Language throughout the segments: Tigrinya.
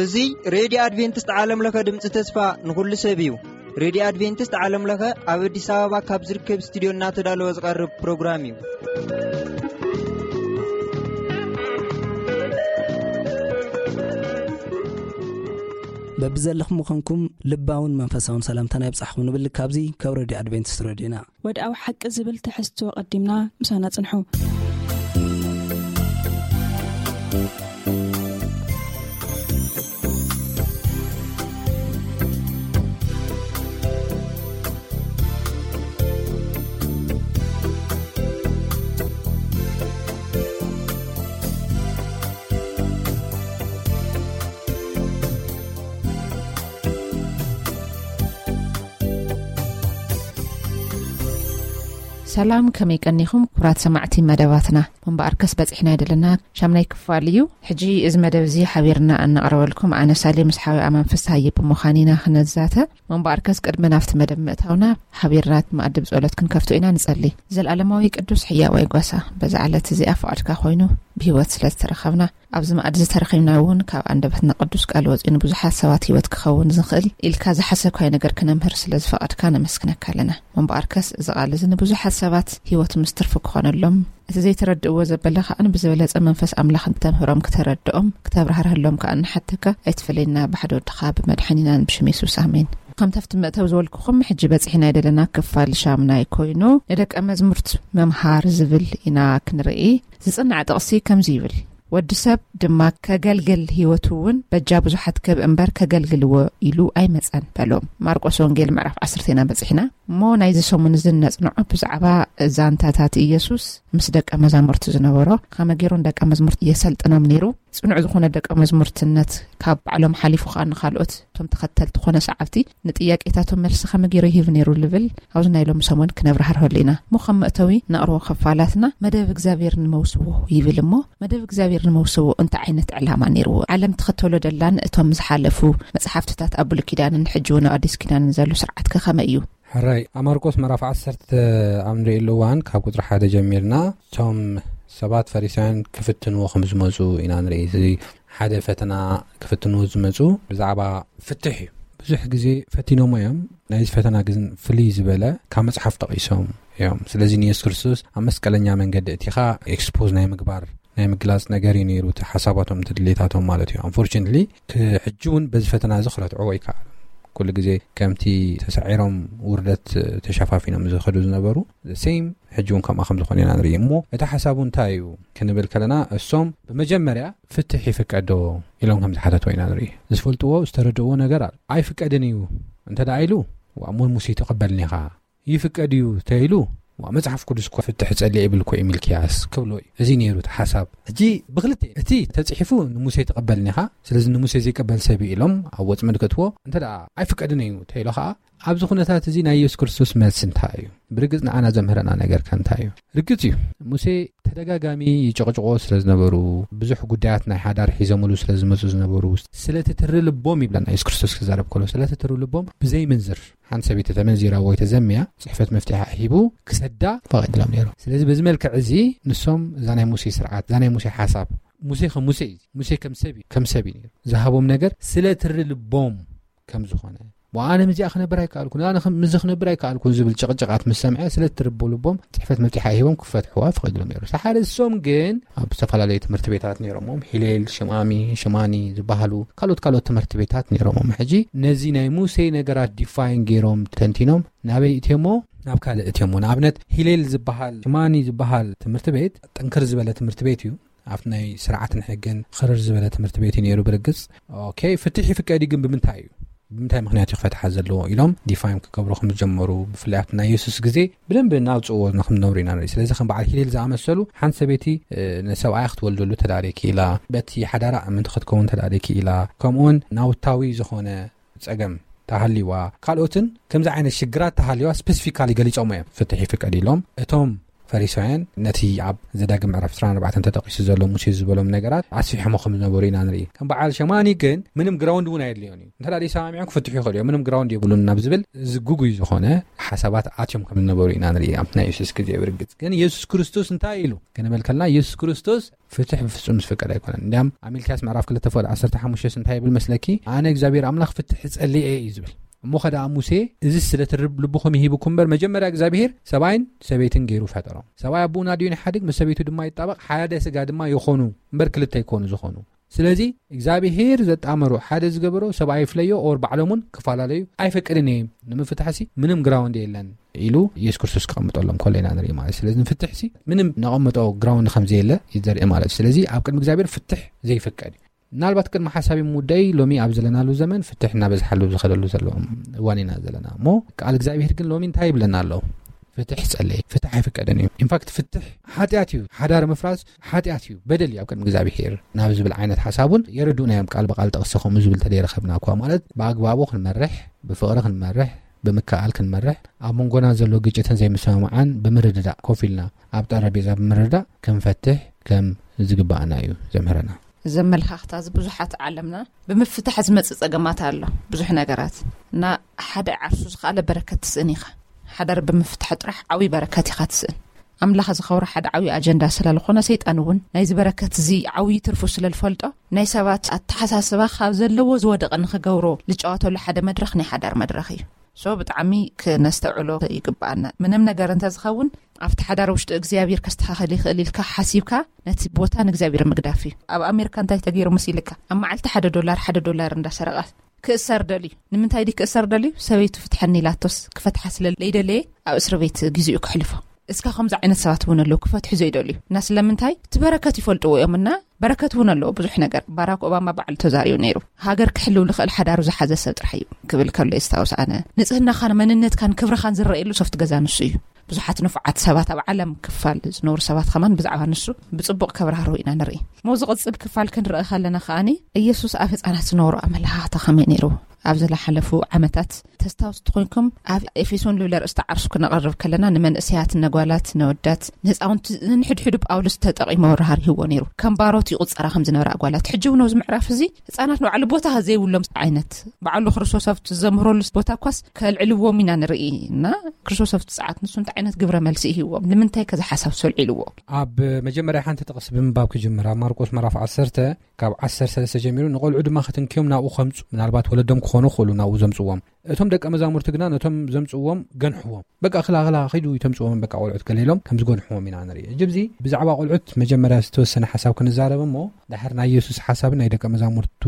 እዚ ሬድዮ ኣድቬንቲስት ዓለም ለኸ ድምፂ ተስፋ ንኹሉ ሰብ እዩ። ሬድዮ ኣድቬንቲስት ዓለም ለኸ ኣብ ኣዲስ ኣበባ ካብ ዝርከብ ስቱዲዮ እናተዳለወ ዝቐርብ ፕሮግራም እዩ። በብዘለኹም ምዃንኩም ልባውን መንፈሳውን ሰላምታና ይብጻሕኩም ንብል ካብዚ ካብ ሬድዮ ኣድቬንቲስት ሬድዮና። ወድኣዊ ሓቂ ዝብል ትሕዝቶ ቀዲምና ምሳና ጽንሑ። ሰላም፣ ከመይ ቀኒኹም ክቡራት ሰማዕቲ መደባትና? እምበኣርከስ በጺሕና ኣይደለና፣ ሻምናይ ክፋል እዩ። ሕጂ እዚ መደብ እዚ ሓቢርና እነቕርበልኩም ኣነ ሳሌ ምስ ሓወይ ኣማን ፍስሃየ ብምዃን ኢና ክነዛተ። እምበኣርከስ ቅድሚ ናብቲ መደብ ምእታውና ሓቢርና መኣዲ ብጸሎት ክንከፍቶ ኢና ንጸሊ። ዘልኣለማዊ ቅዱስ ሕያዋይ ጓሳ፣ በዛ ዕለት እዚኣ ፍቓድካ ኮይኑ ብህይወት ስለ ዝተረኸብና፣ ኣብዚ መኣዲ ዝተረኺብና እውን ካብ ኣንደበትና ቅዱስ ቃል ወጺኡ ንብዙሓት ሰባት ህይወት ክኸውን ዝኽእል ኢልካ ዝሓሰብካዮ ነገር ክነምህር ስለ ዝፈቐድካ ነመስግነካ ኣለና። እምበኣርከስ እዚ ቃል እዚ ንብዙሓት ሰባት ህይወት ምስ ትርፊ ክኾነሎም፣ እቲ ዘይተረድእዎ ዘበለ ከኣ ብዝበለጸ መንፈስ ኣምላኽ እንተምህሮም ክተረድኦም፣ ክተብራህርህሎም ከኣ ንሓተካ። ኣይትፈለየና፣ ብሓደ ወድኻ ብመድሓኒናን ብሽም የሱስ ኣሜን። ከምቲ ኣብቲ መእተዊ ዝበልኩኹም፣ ሕጂ በጺሕና ኣይደለና ክፋል ሻምናይ ኮይኑ፣ ንደቀ መዝሙርት መምሃር ዝብል ኢና ክንርኢ። ዝጽናዕ ጥቕሲ ከምዚ ይብል፣ "ወዲ ሰብ ድማ ከገልግል ህይወቱ እውን በጃ ብዙሓት ክህብ እምበር ከገልግልዎ ኢሉ ኣይመጸን" በሎም። ማርቆስ ወንጌል ምዕራፍ ዓሰርተ ኢና በጺሕና። እሞ ናይዚ ሰሙን እዚ እነጽንዖ ብዛዕባ ዛንታታት ኢየሱስ ምስ ደቀ መዛሙርቱ ዝነበሮ፣ ከመይ ገይሩ ንደቀ መዝሙርቱ የሰልጥኖም ነይሩ፣ ጽኑዕ ዝኾነ ደቀ መዝሙርትነት ካብ ባዕሎም ሓሊፉ ከኣ ንኻልኦት እቶም ተኸተልቲ ኮነ ሰዓብቲ ንጥያቄታቶም መልሲ ከመይ ገይሩ ይህብ ነይሩ ልብል ኣብዚ ናይ ሎሚ ሰሙን ክነብራህርሀሉ ኢና። እሞ ከም መእተዊ ነቕርቦ ክፋላትና መደብ እግዚኣብሔር ንመውስዎ ይብል። እሞ መደብ እግዚኣብሔር ንመውስዎ እንታይ ዓይነት ዕላማ ነይርዎ? ዓለም ትኸተሎ ደላን እቶም ዝሓለፉ መጽሓፍትታት ኣብ ብሉይ ኪዳንን ሕጂ እውን ኣብ ኣዲስ ኪዳንን ዘሎ ስርዓት ከ ከመይ እዩ? ሕራይ፣ ኣብ ማርቆስ ምዕራፍ ዓሰርተ ኣብ ንርእየሉ እዋን ካብ ቁጽሪ ሓደ ጀሚርና እቶም ሰባት ፈሪሳውያን ክፍትንዎ ከም ዝመጹ ኢና ንርኢ። እዚ ሓደ ፈተና ክፍትንዎ ዝመጹ ብዛዕባ ፍትሕ እዩ። ብዙሕ ግዜ ፈቲኖሞ እዮም። ናይዚ ፈተና ግን ፍልይ ዝበለ ካብ መጽሓፍ ጠቒሶም እዮም። ስለዚ ንየሱስ ክርስቶስ ኣብ መስቀለኛ መንገዲ እቲኻ ኤክስፖዝ ናይ ምግባር ናይ ምግላጽ ነገር እዩ ነይሩ፣ እቲ ሓሳባቶም፣ እቲ ድሌታቶም ማለት እዩ። Unfortunately፣ ክ-፣ ሕጂ እውን በዚ ፈተና እዚ ክረትዕዎ ኣይከኣሉን። ኩሉ ግዜ ከምቲ ተሳዒሮም ውርደት ተሸፋፊኖም ዝኸዱ ዝነበሩ፣ the same፣ ሕጂ እውን ከምኣ ከም ዝኾነ ኢና ንርኢ። እሞ እቲ ሓሳቡ እንታይ እዩ ክንብል ከለና፣ እሶም ብመጀመርያ ፍትሕ ይፍቀዶ ኢሎም ከም ዝሓተትዎ ኢና ንርኢ። ዝፈልጥዎ፣ ዝተረድእዎ ነገር ኣሎ። ኣይፍቀድን እዩ እንተ ደኣ ኢሉ፣ "ዋእ፣ እሞ ሙሴ ተቐበልኒ ኢኻ?" ይፍቀድ እዩ ተይሉ፣ "ዋ፣ መጽሓፍ ቅዱስ እኮ ፍትሕ ጸሊእ ይብል እኮ እዩ ሚልክያስ" ክብሎ እዩ። እዚ ነይሩ እቲ ሓሳብ። ሕጂ ብክልተ እቲ ተጽሒፉ ንሙሴ ተቐበልኒ ኢኻ፣ ስለዚ ንሙሴ ዘይቀበል ሰብ እዩ ኢሎም ኣብ ወጽመድ ከእትዎ፣ እንተ ደኣ ኣይፍቀድን እዩ ተይሎ ኸኣ፣ ኣብዚ ኩነታት እዚ ናይ የሱስ ክርስቶስ መልሲ እንታይ እዩ? ብርግጽ ንዓና ዘምህረና ነገር ከ እንታይ እዩ? ርግጽ እዩ፣ ሙሴ ተደጋጋሚ ይጭቕጭቆ ስለ ዝነበሩ፣ ብዙሕ ጉዳያት ናይ ሓዳር ሒዞምሉ ስለ ዝመጹ ዝነበሩ፣ ስለቲ ትሪ ልቦም ይብለና የሱስ ክርስቶስ ክዛረብ ከሎ፣ ስለቲ ትሪ ልቦም ብዘይ ምንዝር ሓንቲ ሰበይቲ ተመንዚራ ወይ ተዘምያ ጽሕፈት መፍትሒ ሂቡ ክሰዳ ፈቒድሎም ነይሩ። ስለዚ በዚ መልክዕ እዚ ንሶም እዛ ናይ ሙሴ ስርዓት፣ እዛ ናይ ሙሴ ሓሳብ፣ ሙሴ ከም ሙሴ እዩ፣ ሙሴ ከም ሰብ እዩ፣ ከም ሰብ እዩ ነይሩ። ዝሃቦም ነገር ስለ ትሪ ልቦም ከም ዝኾነ፣ "ዋ፣ ኣነ ምስዚኣ ክነብር ኣይከኣልኩን፣ ኣነ ከም-፣ ምስዚ ክነብር ኣይከኣልኩን" ዝብል ጭቕጭቓት ምስ ሰምዐ፣ ስለ ትሪ ልቦም ጽሕፈት መፍትሒ ሂቦም ክፈትሕዋ ፈቒድሎም ነይሩ። ሰሓደ እሶም ግን ኣብ ዝተፈላለዩ ትምህርቲ ቤታት ነይሮሞም፣ ሂሌል፣ ሽማሚ፣ ሽማኒ ዝበሃሉ ካልኦት ካልኦት ትምህርቲ ቤታት ነይሮሞም። ሕጂ ነዚ ናይ ሙሴ ነገራት ዲፋይን ገይሮም ተንቲኖም ናበይ እትዮሞ? ናብ ካልእ እትዮሞ። ንኣብነት ሂሌል ዝበሃል፣ ሽማኒ ዝበሃል ትምህርቲ ቤት ጥንክር ዝበለ ትምህርቲ ቤት እዩ። ኣብቲ ናይ ስርዓትን ሕግን ኽርር ዝበለ ትምህርቲ ቤት እዩ ነይሩ ብርግጽ። ኦኬ፣ ፍትሕ ይፍቀድ እዩ፣ ግን ብምንታይ እዩ? ብምንታይ ምኽንያት እዩ ክፈትሓ ዘለዎ? ኢሎም ዲፋይን ክገብሩ ከም ዝጀመሩ፣ ብፍላይ ኣብቲ ናይ የሱስ ግዜ ብደንቢ እናውጽእዎ ንክንነብሩ ኢና ንርኢ። ስለዚ ከም በዓል ሂሌል ዝኣመሰሉ፣ ሓንቲ ሰበይቲ፣ እ፣ ንሰብኣያ ክትወልደሉ ተዳልየኪ ኢላ፣ በቲ ሓዳራ ምእንቲ ክትከውን ተዳልየኪ ኢላ፣ ከምኡውን ናውታዊ ዝኾነ ጸገም ተሃልይዋ፣ ካልኦትን ከምዚ ዓይነት ሽግራት ተሃልይዋ ስፔሲፊካሊ ገሊጾም እዮም። ፍትሕ ይፍቀድ ኢሎም። እቶም ፈሪሳውያን ነቲ ኣብ ዘዳግም ምዕራፍ ዕስራን ኣርባዕተን ተጠቒሱ ዘሎ ሙሴ ዝበሎም ነገራት ኣስፊሖሞ ከም ዝነበሩ ኢና ንርኢ። ከም በዓል ሸማኒ ግን ምንም ግራውንድ እውን ኣየድልዮን እዩ። እንተ ደኣ ሰማሚዖም ክፍትሑ ይኽእሉ እዮም። ምንም ግራውንድ የብሉን ናብ ዝብል ዝጉጉይ ዝኾነ ሓሳባት ኣትዮም ከም ዝነበሩ ኢና ንርኢ ኣብቲ ናይ የሱስ ግዜ። ብርግጽ ግን የሱስ ክርስቶስ እንታይ ኢሉ ክንብል ከለና፣ የሱስ ክርስቶስ ፍትሕ ብፍጹም ዝፍቀድ ኣይኮነን። እንዲያም ኣብ ሚልክያስ ምዕራፍ ክልተ ፍቕዲ ዓሰርተ ሓሙሽተ እንታይ ይብል መስለኪ? "ኣነ እግዚኣብሔር ኣምላኽ ፍትሕ ጸሊኤ" እዩ ዝብል። እሞ ኸ ደኣ ሙሴ፣ "እዚ ስለ ትርብ ልብኹም ይሂብኩም እምበር፣ መጀመርያ እግዚኣብሔር ሰብኣይን ሰበይትን ገይሩ ፈጠሮም። ሰብኣይ ኣቦኡን ኣዲኡን ይሓድግ፣ ምስ ሰበይቱ ድማ ይጣበቕ፣ ሓደ ስጋ ድማ ይኾኑ እምበር ክልተ ኣይኮኑ ዝኾኑ። ስለዚ እግዚኣብሔር ዘጣመሮ፣ ሓደ ዝገበሮ ሰብኣይ ይፍለዮ ኦር ባዕሎም እውን ክፈላለዩ ኣይፈቅድን እየ። ንምፍታሕሲ ምንም ግራውንድ የለን" ኢሉ ኢየሱስ ክርስቶስ ክቐምጠሎም ከሎ ኢና ንርኢ ማለት። ስለዚ ንፍትሕሲ ምንም ነቐምጦ ግራውንድ ከም ዘየለ እዩ ዘርኢ ማለት። ስለዚ ኣብ ቅድሚ እግዚኣብሔር ፍትሕ ዘይፍቀድ እዩ። ምናልባት ቅድሚ ሓሳብ ምውዳይ፣ ሎሚ ኣብ ዘለናሉ ዘመን ፍትሕ እናበዝሓሉ ዝኸደሉ ዘሎ እዋን ኢና ዘለና። እሞ ቃል እግዚኣብሔር ግን ሎሚ እንታይ ይብለና ኣሎ? ፍትሕ ጸለይ፣ ፍትሕ ኣይፍቀድን እዩ። ኢንፋክት ፍትሕ ሓጢኣት እዩ። ሓዳር ምፍራስ ሓጢኣት እዩ፣ በደል እዩ ኣብ ቅድሚ እግዚኣብሔር ናብ ዝብል ዓይነት ሓሳብ እውን የረድኡና እዮም። ቃል ብቃል ጠቕሲ ከምኡ ዝብል ተደይረኸብና እኳ ማለት ብኣግባቡ ክንመርሕ፣ ብፍቕሪ ክንመርሕ፣ ብምክኣል ክንመርሕ፣ ኣብ መንጎና ዘሎ ግጭትን ዘይምስምማዓን ብምርድዳእ ኮፍ ኢልና ኣብ ጠረጴዛ ብምርዳእ ክንፈትሕ ከም ዝግባኣና እዩ ዘምህረና። እዚ ኣመለኻኽታ እዚ ብዙሓት ዓለምና ብምፍታሕ ዝመጽእ ጸገማት ኣሎ። ብዙሕ ነገራት እና ሓደ ዓርሱ ዝኸኣለ በረከት ትስእን ኢኻ። ሓዳር ብምፍታሕ ጥራሕ ዓብዪ በረከት ኢኻ ትስእን። ኣምላኽ ዝኸብሮ ሓደ ዓብዪ ኣጀንዳ ስለ ዝኾነ፣ ሰይጣን እውን ናይዚ በረከት እዚ ዓብዪ ትርፉ ስለ ዝፈልጦ፣ ናይ ሰባት ኣተሓሳስባ ካብ ዘለዎ ዝወደቐ ንኽገብሮ ዝጫወተሉ ሓደ መድረኽ ናይ ሓዳር መድረኽ እዩ። ሶ ብጣዕሚ ክነስተውዕሎ ይግባኣና። ምንም ነገር እንተዝኸውን ኣብቲ ሓዳር ውሽጢ እግዚኣብሔር ከስተኻኸል ይኽእል ኢልካ ሓሲብካ ነቲ ቦታ ንእግዚኣብሔር ምግዳፍ እዩ። ኣብ ኣሜሪካ እንታይ ተገይሩ መሲልካ? ኣብ መዓልቲ ሓደ ዶላር ሓደ ዶላር እንዳሰረቐ ክእሰር ደልዩ። ንምንታይ ድዩ ክእሰር ደልዩ? ሰበይቱ ፍትሐኒ ኢላቶስ ክፈትሓ ስለ ለይደለየ ኣብ እስር ቤት ግዜኡ ክሕልፎ። እስካ ከምዚ ዓይነት ሰባት እውን ኣለዉ ክፈትሑ ዘይደልዩ። እና ስለምንታይ? እቲ በረከት ይፈልጥዎ እዮም እና በረከት እውን ኣለዎ ብዙሕ ነገር። ባራክ ኦባማ ባዕሉ ተዛሪቡ ነይሩ። ሃገር ክሕልው ዝኽእል ሓዳሩ ዝሓዘ ሰብ ጥራሕ እዩ ክብል ከሎ የስታውስ። ኣነ ንጽህናኻን መንነትካን ክብርኻን ዝረኣየሉ ሶፍት ገዛ ንሱ እዩ። ብዙሓት ንፉዓት ሰባት ኣብ ዓለም ክፋል ዝነብሩ ሰባት ከማን ብዛዕባ ንሱ ብጽቡቕ ከብራህርሁ ኢና ንርኢ። ሞ ዝቕጽል ክፋል ክንርኢ ከለና ከኣኒ ኢየሱስ ኣብ ህጻናት ዝነበሩ ኣመለኻኽታ ከመይ ነይሩ? ኣብ ዝለሓለፉ ዓመታት ተስታውስቲ ኮይንኩም ኣብ ኤፌሶን ልብለ ርእስቲ ዓርሱ ክነቐርብ ከለና ንመንእሰያት፣ ነጓላት፣ ነወዳት፣ ንህፃውንቲ ንሕድሕዱ ጳውሎስ ተጠቒሙ ኣብርሃ ርሂዎ ነይሩ። ከም ባሮት ይቑጸራ ከም ዝነበራ ኣጓላት ሕጂ እውን ኣብዚ ምዕራፍ እዚ ህፃናት ንባዕሉ ቦታ ዘይብሎም ዓይነት ባዕሉ ክርስቶስ ኣብቲ ዘምህረሉ ቦታ እኳስ ከልዕልዎም ኢና ንርኢ እና ክርስቶስ ኣብቲ ሰዓት ንሱ እንታይ ዓይነት ግብረ መልሲ ይህዎም ንምንታይ ከዚ ሓሳብ ሰልዒልዎ? ኣብ መጀመርያ ሓንቲ ጥቕስ ብምንባብ ክጅምር ኣብ ማርቆስ ምዕራፍ ዓሰርተ ካብ ዓሰርተ ሰለስተ ጀሚሩ ንቖልዑ ድማ ክትንክዮም ናብኡ ከምፁ ምናልባት ወለዶም ክኾኑ ክኽእሉ ናብኡ ዘምፅዎም እቶም ደቀ መዛሙርቲ ግና ነቶም ዘምፅዎም ገንሕዎም በቃ ክላ ክላ ኸይዱ ይተምፅዎም በቃ ቆልዑት ገለ ኢሎም ከም ዝገንሕዎም ኢና ንርኢ። ሕጂ ብዚ ብዛዕባ ቆልዑት መጀመርያ ዝተወሰነ ሓሳብ ክንዛረብ እሞ ድሕር ናይ የሱስ ሓሳብን ናይ ደቀ መዛሙርቱ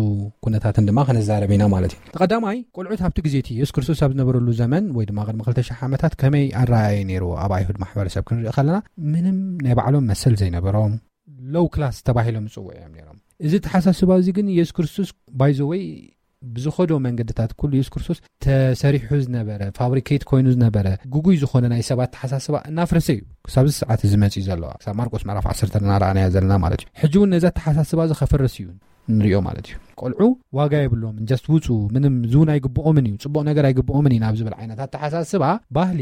ኩነታትን ድማ ክንዛረብ ኢና ማለት እዩ። ተቐዳማይ ቆልዑት ኣብቲ ግዜ እቲ የሱስ ክርስቶስ ኣብ ዝነበረሉ ዘመን ወይ ድማ ቅድሚ ክልተ ሽሕ ዓመታት ከመይ ኣረኣየ ነይርዎ ኣብ ኣይሁድ ማሕበረሰብ ክንርኢ ከለና ምንም ናይ ባዕሎም መሰል ዘይነበሮም ሎው ክላስ ተባሂሎም ዝፅውዑ እዮም ነይሮም። እዚ ተሓሳስባ እዚ ግን የሱስ ክርስቶስ ባይዘወይ ብዝኸዶ መንገድታት ኩሉ የሱስ ክርስቶስ ተሰሪሑ ዝነበረ ፋብሪኬት ኮይኑ ዝነበረ ጉጉይ ዝኾነ ናይ ሰባት ተሓሳስባ እናፍረሰ እዩ ክሳብ እዚ ሰዓት እዚ መፅኡ ዘሎ። ክሳብ ማርቆስ ምዕራፍ ዓሰርተ እናረኣናዮ ዘለና ማለት እዩ። ሕጂ እውን ነዛ ተሓሳስባ እዚ ከፈርስ እዩ ንሪኦ ማለት እዩ። ቆልዑ ዋጋ የብሎምን ጀስት ውፁ ምንም ዝውን ኣይግብኦምን እዩ ፅቡቕ ነገር ኣይግብኦምን እዩ ናብ ዝብል ዓይነት ኣተሓሳስባ ባህሊ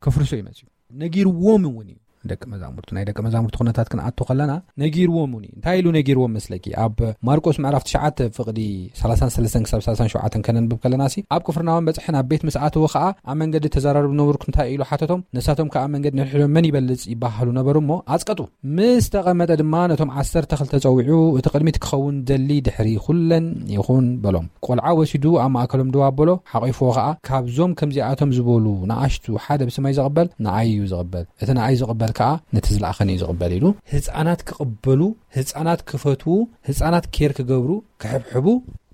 ከፍርሶ እዩ መፅኡ። ነጊርዎም እውን እዩ ደቂ መዛሙርቱ ናይ ደቂ መዛሙርቱ ኩነታት ክንኣቱ ከለና ነጊርዎም እውን እዩ። እንታይ ኢሉ ነጊርዎም መስለኪ? ኣብ ማርቆስ ምዕራፍ ትሽዓተ ፍቕዲ ሰላሳን ሰለስተን ክሳብ ሰላሳን ሸውዓተን ከነንብብ ከለና ሲ ኣብ ቅፍርናሆም በጽሐ ናብ ቤት ምስ ኣተወ ኸኣ ኣብ መንገዲ ተዘራርቡ ነበርኩ እንታይ ኢሉ ሓተቶም። ንሳቶም ከኣ ኣብ መንገዲ ንሕድሕዶም መን ይበልጽ ይበሃሉ ነበሩ እሞ ኣጽቀጡ። ምስ ተቐመጠ ድማ ነቶም ዓሰርተ ክልተ ጸዊዑ እቲ ቅድሚት ክኸውን ደሊ ድሕሪ ኩለን ይኹን በሎም። ቆልዓ ወሲዱ ኣብ ማእከሎም ደው ኣበሎ ሓቒፍዎ ኸኣ ካብዞም ከምዚኣቶም ዝበሉ ንኣሽቱ ሓደ ብስመይ ዝቕበል ንኣይ እዩ ዝቕበል፣ እቲ ንኣይ ዝቕበል ከኣ ነቲ ዝለኣኸኒ እዩ ዝቕበል ኢሉ ህፃናት ክቕበሉ፣ ህፃናት ክፈትዉ፣ ህፃናት ኬር ክገብሩ፣ ክሕብሕቡ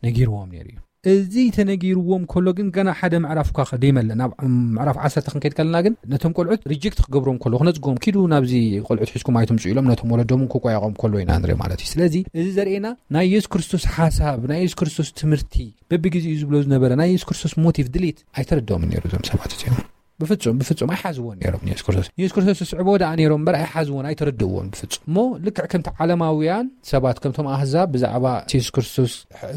ነጊርዎም ነይሩ እዩ። እዚ ተነጊርዎም ከሎ ግን ገና ሓደ ምዕራፍ እኳ ደይመልእ ናብ ምዕራፍ ዓሰርተ ክንከይድ ከለና ግን ነቶም ቆልዑት ሪጀክት ክገብሮም ከሎ ክነፅግዎም ኪዱ ናብዚ ቆልዑት ሒዝኩም ኣይትምፁ ኢሎም ነቶም ወለዶም ክቆያቆም ከሎ ኢና ንርኢ ማለት እዩ። ስለዚ እዚ ዘርእየና ናይ የሱስ ክርስቶስ ሓሳብ ናይ የሱስ ክርስቶስ ትምህርቲ በብግዜኡ ዝብሎ ዝነበረ ናይ የሱስ ክርስቶስ ሞቲቭ ድሌት ኣይተረድኦምን ነይሩ እዞም ሰባት እዚኦም። ብፍጹም ብፍጹም ኣይሓዝዎን ነይሮም ንየሱስ ክርስቶስ። ንየሱስ ክርስቶስ ዝስዕብዎ ደኣ ነይሮም እምበር ኣይሓዝዎን ኣይተረድእዎን ብፍጹም። እሞ ልክዕ ከምቲ ዓለማውያን ሰባት ከምቶም ኣህዛብ ብዛዕባ እቲ የሱስ ክርስቶስ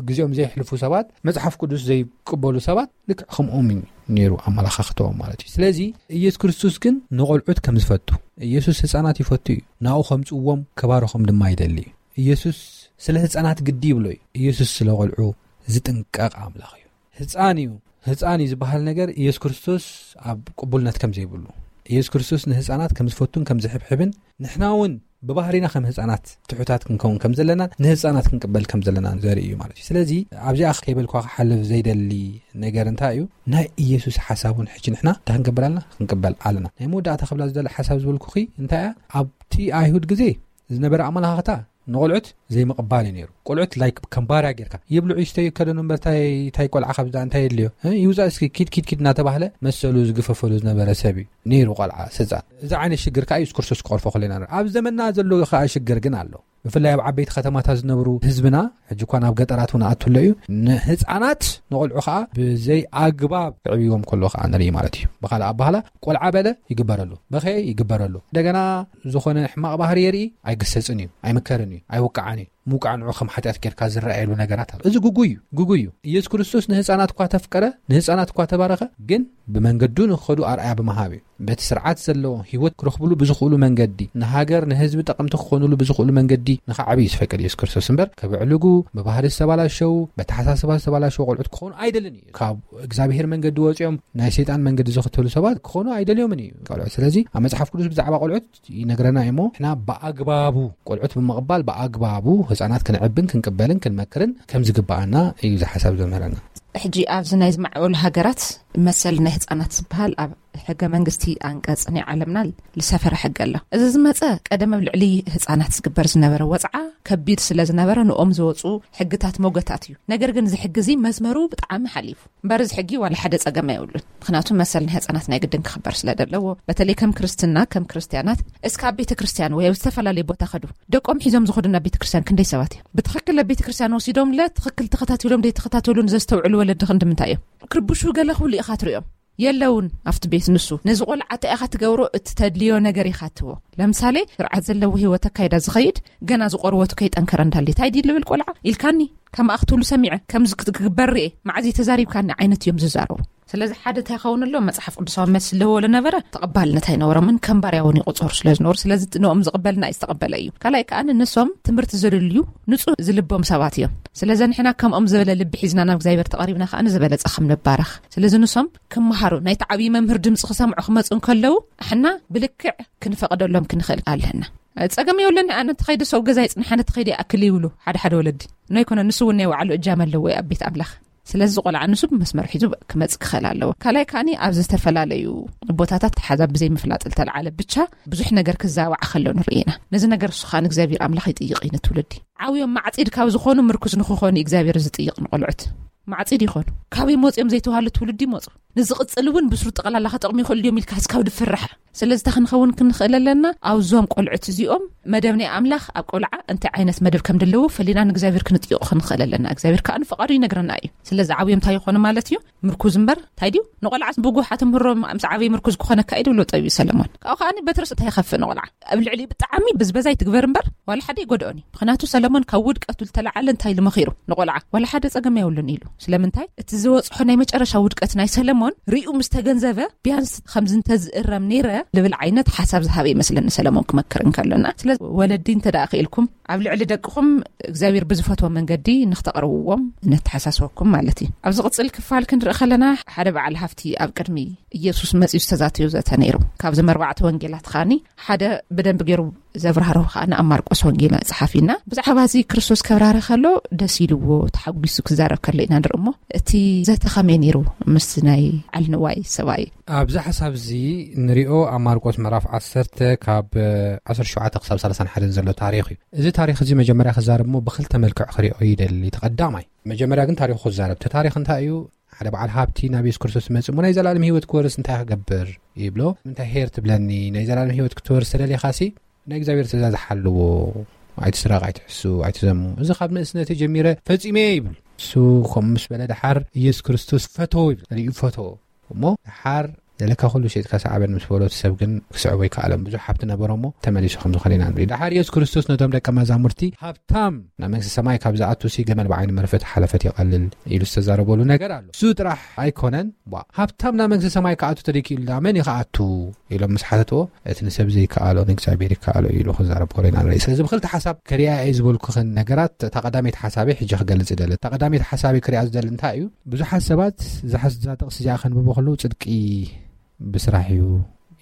ግዜኦም ዘይሕልፉ ሰባት መጽሓፍ ቅዱስ ዘይቅበሉ ሰባት ልክዕ ከምኦም እዩ ነይሩ ኣመላኻኽተኦም ማለት እዩ። ስለዚ ኢየሱስ ክርስቶስ ግን ንቖልዑት ከም ዝፈቱ ኢየሱስ ህፃናት ይፈቱ እዩ። ናኡ ከምፅዎም ክባርኾም ድማ ይደሊ እዩ። ኢየሱስ ስለ ህፃናት ግዲ ይብሎ እዩ። ኢየሱስ ስለ ቆልዑ ዝጥንቀቕ ኣምላኽ እዩ። ህፃን እዩ ህፃን እዩ ዝበሃል ነገር ኢየሱስ ክርስቶስ ኣብ ቅቡልነት ከም ዘይብሉ፣ ኢየሱስ ክርስቶስ ንህፃናት ከም ዝፈቱን ከም ዝሕብሕብን፣ ንሕና እውን ብባህሪና ከም ህፃናት ትሑታት ክንከውን ከም ዘለና፣ ንህፃናት ክንቅበል ከም ዘለና ዘርኢ እዩ ማለት እዩ። ስለዚ ኣብዚኣ ከይበልኳ ክሓልፍ ዘይደሊ ነገር እንታይ እዩ? ናይ ኢየሱስ ሓሳብ እውን ሕጂ ንሕና እንታይ ክንገብር ኣለና? ክንቅበል ኣለና። ናይ መወዳእታ ክብላ ዝደለ ሓሳብ ዝበልኩኺ እንታይ እያ? ኣብቲ ኣይሁድ ግዜ ዝነበረ ኣመላኻኽታ ንቆልዑት ዘይምቕባል እዩ ነይሩ። ቆልዑት ላይክ ከም ባርያ ጌርካ፣ ይብልዑ ይስተዩ፣ ከደኑ እምበር ታይ ታይ ቆልዓ ካብዛ እንታይ የድልዮ? እ? ይውፃእ እስኪ፣ ኪድ ኪድ ኪድ እናተባህለ መሰሉ ዝግፈፈሉ ዝነበረ ሰብ እዩ ነይሩ ቆልዓ፣ ህፃን። እዚ ዓይነት ሽግር ከዓ ኢየሱስ ክርስቶስ ክቐርፎ ከለና ንርኢ። ኣብ ዘመንና ዘሎ ከዓ ሽግር ግን ኣሎ። ብፍላይ ኣብ ዓበይቲ ከተማታት ዝነብሩ ህዝብና፣ ሕጂ እኳ ናብ ገጠራት እውን ኣትሎ እዩ፣ ንህፃናት ንቆልዑ ከዓ ብዘይ ኣግባብ ክዕብይዎም ከሎ ከዓ ንርኢ ማለት እዩ። ብካልእ ኣባህላ፣ ቆልዓ በለ ይግበረሉ፣ በኸየ ይግበረሉ። እንደገና ዝኾነ ሕማቕ ባህሪ የርኢ፣ ኣይግሰፅን እዩ፣ ኣይምከርን እዩ፣ ኣይውቃዓን እዩ። ምውቃዕ ንዑ ከም ሓጢኣት ጌርካ ዝረኣየሉ ነገራት ኣሎ። እዚ ግጉይ እዩ፣ ግጉይ እዩ። ኢየሱስ ክርስቶስ ንህፃናት እኳ ተፍቀረ፣ ንህፃናት እኳ ተባረኸ፣ ግን ብመንገዱ ንክኸዱ ኣርኣያ ብምሃብ እዩ። በቲ ስርዓት ዘለዎ ህይወት ክረኽብሉ ብዝኽእሉ መንገዲ፣ ንሃገር ንህዝቢ ጠቐምቲ ክኾኑሉ ብዝኽእሉ መንገዲ ንኽዓብዩ ዝፈቅድ ኢየሱስ ክርስቶስ እምበር፣ ከብዕልጉ፣ ብባህሪ ዝተባላሸው፣ በተሓሳስባ ዝተባላሸው ቆልዑት ክኾኑ ኣይደልን እዩ። ካብ እግዚኣብሔር መንገዲ ወፂኦም ናይ ሰይጣን መንገዲ ዝኽተሉ ሰባት ክኾኑ ኣይደልዮምን እዩ ቆልዑት። ስለዚ ኣብ መጽሓፍ ቅዱስ ብዛዕባ ቆልዑት ይነግረና እሞ፣ ንሕና ብኣግባቡ ቆልዑት ብምቕባል፣ ብኣግባቡ ህፃናት ክንዕብን ክንቅበልን ክንመክርን ከም ዝግባኣና እዩ እዚ ሓሳብ ዘምህረና። ሕጂ ኣብዚ ናይ ዝማዕበሉ ሃገራት መሰል ናይ ህፃናት ዝበሃል ኣብ ሕገ መንግስቲ ኣንቀጽ ናይ ዓለምና ዝሰፈረ ሕገ ኣሎ። እዚ ዝመጸ ቀደም ኣብ ልዕሊ ህፃናት ዝግበር ዝነበረ ወፅዓ ከቢድ ስለ ዝነበረ ንኦም ዝወፁ ሕግታት ሞገታት እዩ። ነገር ግን እዚ ሕጊ እዚ መስመሩ ብጣዕሚ ሓሊፉ። እምበር እዚ ሕጊ ዋላ ሓደ ጸገም ኣይብሉን። ምኽንያቱ መሰል ናይ ህፃናት ናይ ግድን ክኽበር ስለ ዘለዎ፣ በተለይ ከም ክርስትና፣ ከም ክርስትያናት፣ እስከ ኣብ ቤተ ክርስትያን ወይ ኣብ ዝተፈላለየ ቦታ ከዱ፣ ደቆም ሒዞም ዝኸዱ ናብ ቤተ ክርስትያን ክንደይ ሰባት እዮም? ብትኽክል ኣብ ቤተ ክርስትያን ወሲዶምለ ትኽክል ተኸታቲሎም ደይ ተኸታተሉን ዘስተውዕሉ ወለዲ ክንዲ ምንታይ እዮም? ክርብሹ ገለ ክብሉ ኢኻ ትሪኦም። የለውን ኣብቲ ቤት ንሱ። ነዚ ቆልዓ እንታይ ኢኻ ትገብሮ? እቲ ተድልዮ ነገር ኢኻ ትቦ። ለምሳሌ፣ ስርዓት ዘለዎ ህይወት ኣካይዳ ዝኸይድ፣ ገና ዝቆርበቱ ከይጠንከረ እንዳልየ፣ "እንታይ ድዩ ልብል ቆልዓ?" ኢልካኒ፣ ከምኣ ክትብሉ ሰሚዐ፣ ከምዚ ክት-፣ ክግበር ርኤ፣ መዓዝ እዩ ተዛሪብካኒ ዓይነት እዮም ዝዛረቡ። ስለዚ ሓደ እንታይ ይኸውን ኣሎ? መጽሓፍ ቅዱሳዊ መልሲ ኣለዎ ለነበረ፣ ተቐባልነት ኣይነበሮምን፣ ከም ባርያ እውን ይቑጸሩ ስለ ዝነበሩ። ስለዚ እቲ ንኦም ዝቕበልና እዩ ዝተቐበለ እዩ። ካልኣይ ከኣ ንሶም ትምህርቲ ዘድልዩ ንጹህ ዝልቦም ሰባት እዮም። ስለዚ ንሕና ከምኦም ዝበለ ልቢ ሒዝና ናብ እግዚኣብሔር ተቐሪብና ከኣ ዝበለጸ ከም ንባረኽ። ስለዚ ንሶም ክመሃሩ፣ ናይቲ ዓብዪ መምህር ድምጺ ክሰምዑ ክመጹ እንከለዉ፣ ኣሕና ብልክዕ ክንፈቕደሎም ክንኽእል ኣለና። ጸገም የብለኒ፣ ኣነ ተኸይደ ሰው ገዛ ይጽንሕ፣ ኣነ ተኸይደ ይኣክል ይብሉ ሓደ ሓደ ወለዲ። ኖ ኣይኮነ፣ ንሱ እውን ናይ ባዕሉ እጃም ኣለዎ ኣብ ቤት ኣምላኽ። ስለዚ ቆልዓ ንሱ ብመስመር ሒዙ ክመጽእ ክኽእል ኣለዎ። ካልኣይ ከኣኒ ኣብ ዝተፈላለዩ ቦታታት ተሓዛ ብዘይ ምፍላጥ ዝተለዓለ ብቻ ብዙሕ ነገር ክዛባዕ ከሎ ንርኢ ኢና። ነዚ ነገር እሱ ከኣ ንእግዚኣብሔር ኣምላኽ ይጥይቕ እዩ ንትውልዲ። ዓብዮም ማዕጺድ ካብ ዝኾኑ ምርኩስ ንክኾኑ እግዚኣብሔር ዝጥይቕ ንቆልዑት። ማዕጺድ ይኾኑ። ካበይ መጺኦም ዘይተዋህሉ ትውልዲ ይመጹ። ንዝቕጽል እውን ብስሩ ጠቕላላ ከጠቕሙ ይኽእሉ እዮም ኢልካ እስካብ ድፍርሕ። ስለዚ እንታይ ክንኸውን ክንኽእል ኣለና? ኣብዞም ቆልዑት እዚኦም መደብ ናይ ኣምላኽ ኣብ ቆልዓ እንታይ ዓይነት መደብ ከም ዘለዎ ፈሊና ንእግዚኣብሔር ክንጥይቑ ክንኽእል ኣለና። እግዚኣብሔር ከኣ ንፍቓዱ ይነግረና እዩ። ስለዚ ዓብዮም እንታይ ይኾኑ ማለት እዩ? ምርኩዝ እምበር እንታይ ድዩ? ንቆልዓ ብጉሓ ትምህሮ ምስ ዓብይ ምርኩዝ ክኾነካ እዩ ድብሎ ጠቢቡ ሰለሞን። ካብኡ ከኣ በትርስ እንታይ ይኸፍእ ንቆልዓ? ኣብ ልዕሊ ብጣዕሚ ብዝበዛ ይትግበር እምበር ዋላ ሓደ ይጎድኦን እዩ። ምኽንያቱ ሰለሞን ካብ ውድቀቱ ዝተለዓለ እንታይ ኢሉ መኺሩ ንቆልዓ? ዋላ ሓደ ጸገም የብሉን ኢሉ። ስለምንታይ? እቲ ዝበጽሖ ናይ መጨረሻ ውድቀት ናይ ሰለሞን ርእዩ ምስ ተገንዘበ፣ ቢያንስ ከምዚ እንተዝእረም ነይረ ልብል ዓይነት ሓሳብ ዝሃበ ይመስለኒ ሰለሞን ክመክር እንከሎና። ስለዚ ወለዲ እንተ ደኣ ክኢልኩም ኣብ ልዕሊ ደቅኹም እግዚኣብሔር ብዝፈትዎ መንገዲ ንክተቕርብዎም ነተሓሳስበኩም ማለት እዩ። ኣብ ዝቕጽል ክፋል ክንርኢ ከለና ሓደ በዓል ሃፍቲ ኣብ ቅድሚ ኢየሱስ መጺኡ ዝተዛተዮ ዘተ ነይሩ። ካብዞም ኣርባዕተ ወንጌላት ከኣኒ ሓደ ብደንቢ ገይሩ ዘብራህርሁ ከኣ ኣብ ማርቆስ ወንጌል መጽሓፍ ኢና። ብዛዕባ እዚ ክርስቶስ ከብራህርህ ከሎ ደስ ኢልዎ ተሓጒሱ ክዛረብ ከሎ ኢና ንርኢ እሞ፣ እቲ ዘተ ከመይ ነይሩ ምስ ናይ ዓል ንዋይ ሰብኣይ? ኣብዚ ሓሳብ እዚ ንሪኦ ኣብ ማርቆስ ምዕራፍ ዓሰርተ ካብ ዓሰርተ ሸውዓተ ክሳብ ሰላሳን ሓደን ዘሎ ታሪኽ እዩ። እዚ ታሪኽ እዚ መጀመርያ ክዛረብ እሞ ብኽልተ መልክዕ ክሪኦ ይደሊ። እቲ ቀዳማይ፣ መጀመርያ ግን ታሪኹ ክዛረብ። እቲ ታሪኽ እንታይ እዩ? ሓደ በዓል ሃብቲ ናብ የሱስ ክርስቶስ ይመጽእ እሞ፣ "ናይ ዘላለም ህይወት ክወርስ እንታይ ክገብር?" ይብሎ። "ምንታይ ሄር ትብለኒ? ናይ ዘላለም ህይወት ክትወርስ ተደሊኻሲ ናይ እግዚኣብሔር ትእዛዝ ሓልዎ። ኣይትስረቕ፣ ኣይትሕሱ፣ ኣይትዘሙ። እዚ ካብ ንእስነተይ ጀሚረ ፈጺመ እየ" ይብል። እሱ ከምኡ ምስ በለ ደሓር፣ "የሱስ ክርስቶስ ፈተዎ" ይብል። ርእዩ ፈተዎ። እሞ ደሓር ዘለካ ኩሉ ሸይጥካ ሰዓበኒ ምስ በሎ፣ እቲ ሰብ ግን ክስዕቦ ኣይከኣለን። ብዙሕ ሃብቲ ነበሮ እሞ ተመሊሱ ከም ዝኾነ ኢና ንርኢ። ደሓር የሱስ ክርስቶስ ነቶም ደቀ መዛሙርቲ፣ "ሃብታም ናብ መንግስቲ ሰማይ ካብ ዝኣቱሲ ገመል ብዓይኒ መርፍእ ተሓለፈት ይቐልል" ኢሉ ዝተዛረበሉ ነገር ኣሎ። እሱ ጥራሕ ኣይኮነን፣ ዋ፣ "ሃብታም ናብ መንግስቲ ሰማይ ክኣቱ ተደይክኢሉ ደኣ መን እዩ ክኣቱ?" ኢሎም ምስ ሓተትዎ፣ እቲ ንሰብ ዘይከኣሎ ንእግዚኣብሔር ይከኣሎ ኢሉ ክዛረብ ከሎ ኢና ንርኢ። ስለዚ ብክልተ ሓሳብ ክሪኣ እየ ዝበልኩኽን ነገራት፣ እታ ቀዳመይቲ ሓሳበይ ሕጂ ክገልጽ ይደሊ። እታ ቀዳመይቲ ሓሳበይ ክሪኣ ዝደሊ እንታይ እዩ? ብዙሓት ሰባት እዛ ሓስ-፣ እዛ ጥቕሲ እዚኣ ከንብቡ ከለዉ ጽድቂ ብስራሕ እዩ